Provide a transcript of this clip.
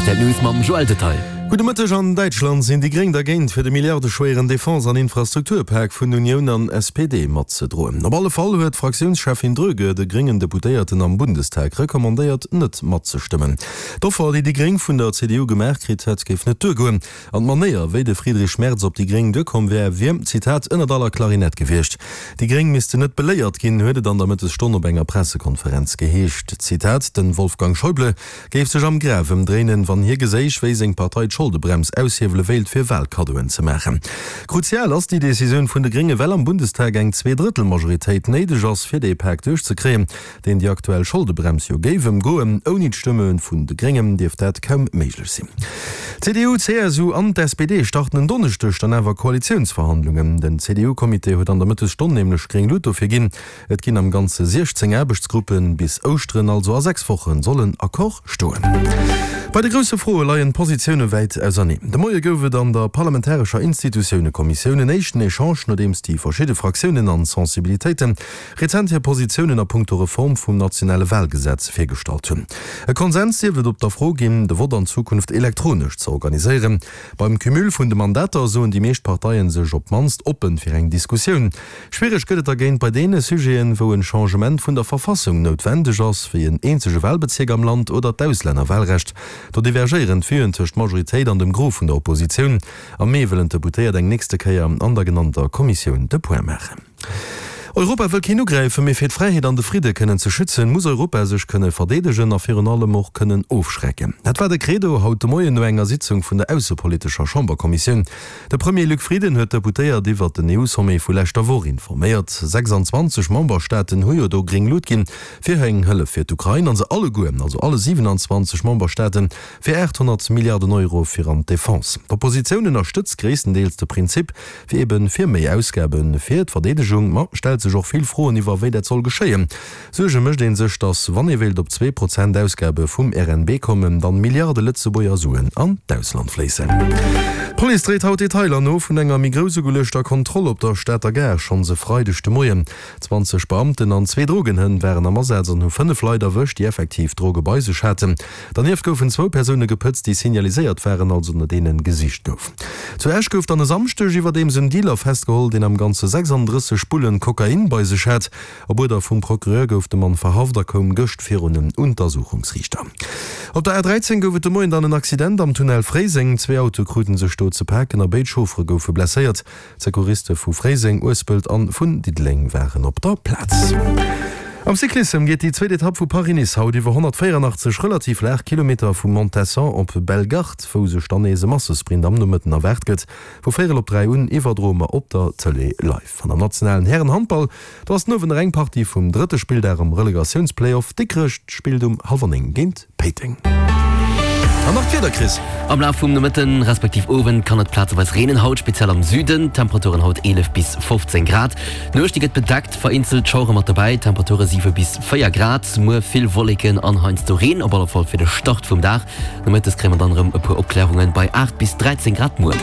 Rtl News mam Joël Detail. Gudde Mëtteg, An Däitschland sinn déi Gréng dergéint, fir de milliardeschwéieren Defense an Infrastrukturpak vun Unioun an SPD matzedroen. Op alle Fall huet d'Fraktiounscheffin Dröge de gréngen Deputéierten am Bundestag recommandéiert, net matzestëmmen. D'Offer, déi déi Gréng vun der CDU gemaach kritt hätt, géif net duergoen. An d'Manéier, wéi de Friedrich Merz op déi Gréng duerkomm wär, wier, Zitat, ënnert aller Klarinett gewiescht. Déi Gréng missten net beléiert ginn, huet et an der Mëttesstonn op enger Pressekonferenz geheescht. Zitat, Den Wolfgang Schäuble géif sech am Graf ëmdréinen, wann hie geséich, wéi seng Partei d'Scholdebrems aushiewele wéilt, fir Wahlkaddoen ze maachen. Kruzial ass déi Decisioun vun de Grénge, well am Bundestag eng Zweedrëttelmajoritéit néideg ass, fir dee Pak duerchzekréien. deen déi aktuell Scholdebrems jo géif ëmgoen. Ouni d'Stëmme vun de Gréngen dierft dat kaum méiglech sinn. D'CDU, d'CSU an d'SPD starten en Donneschdeg dann awer Koalitiounsverhandlungen. Den CDU-Comité huet an der Mëttesstonn nämlech gréng Lut dofir ginn. Et ginn am Ganze 16 Aarbechtsgruppen. Bis Ouschteren, also a 6 Wochen, soll en Accord stoen. Bei de grousse Froe leien d'Positioune wäit auserneen. De Moie gouf et an der parlamentarescher Institutiounekommissioun en éischten Echange, nodeems déi verschidde Fraktiounen an Sensibilitéiten rezent hir Positiounen a punkto Reform vum nationale Wahlgesetz virgestallt hunn. E Konsens dierft et op der Fro ginn, de Vott an Zukunft elektronesch ze organiséieren. Beim Cumul vun de Mandater soen déi meescht Parteien sech op d'mannst oppen fir eng Diskussioun. Schwiereg gëtt et dergéint bei deene Sujeten, wou en Changement vun der Verfassung noutwendeg ass, wéi en eenzege Wahlbezierk am Land oder d'Auslännerwahlrecht. Do divergéieren d'Vuen tëscht Majoritéit an dem Gros vun der Oppositioun. Am Mee wëllen d'Deputéiert eng nächste Kéier an der genannter Kommissioun de Point maachen. Europa wëll keen ugräifen, mee fir d'Fräiheet an de Fridde kënnen ze schützen, muss Europa sech kënne verdeedegen a virun allem och kënnen ofschrecken. Dat war de Credo haut de Moien no enger Sitzung vun der aussepolitescher Chamberkommissioun. De Premier Luc Frieden huet d'Deputéiert iwwert den EU-Sommet vu leschter Woch informéiert. 26 Memberstaaten hu jo do gréng Lut ginn fir eng Hëllef fir d'Ukrain a se alleguer, also alle 27 Memberstaaten, fir 800 Milliarden Euro fir an d'Defense. D'Oppositioun ënnerstëtzt gréisstendeels de Prinzip, fir eben fir méi Ausgabe fir d'Verdeedegung, ma stellt sech och vill Froen iwwer wéi dat soll geschéien. Suerge mécht ee sech, datt wann ee wéilt op 2% Ausgabe vum RNB kommen, dann Milliarde Lëtzebuerger Suen an d'Ausland fléissen. D'Police dréit haut Detailer no vun enger méi grouss ugeluechter Kontroll op der Stater Gare schonns e Freideg de Moien. 20 Beamten an zwee Drogenhënn waren am Asaz an hu 5 Leit erwëscht, déi effektiv Droge bei sech haten. Dernieft goufen zwou Persoune gepëtzt, déi signaliséiert waren, also no deene gesicht gouf. Zu Esch gouf dann e Samschdeg iwwerdeems en Dealer festgeholl, deen am Ganze 36 Bullen Kokain bei sech hat. Op Uerder vum Procureur gouf de Mann verhaft a koum gëscht virun en Untersuchungsriichter. Op der A 13 gouf et de Moien dann en Accident am Tunnel Fréiseng. Zwee Autoe krute sech do ze paken a béid Chauffere goufe blesséiert. D'Secouriste vu Fréiseng, Uespelt an vun Diddeleng waren op der Plaz. Am Cyclissem geet déi zweet Etapp vu Paris-Nice haut iwwer 184 relativ laach Kilometer vu Montesson op Bellegarde, wou sech dann nees e Massesprint am Nomëtten erwaart gëtt. Vu véierel op 3 un iwwerdroe mer op der Tëlee live. An am nationalen Härenhandball, do ass den Owend nach eng Partie vum drëtte Spilldag am Relegatiounsplayoff. Dikrech spillt um hallwer 9 géint Péiteng. An nach d'Wieder, Chris. Am Laf vum Nomëtten respektiv Owend kann et plazeweis reenen, haut speziell am Süden. Temperaturen haut 11 bis 15 Grad. D'Nuecht déi gëtt bedeckt, vereenzelt Schauere mat dobäi, Temperature 7 bis 4 Grad. Muer vill Wolleken an heiansdo Reen, op alle Fall fir de Start vum Dag. Nomëttes kréie mer dann erëm e puer Opklärungen bei 8 bis 13 Grad muer.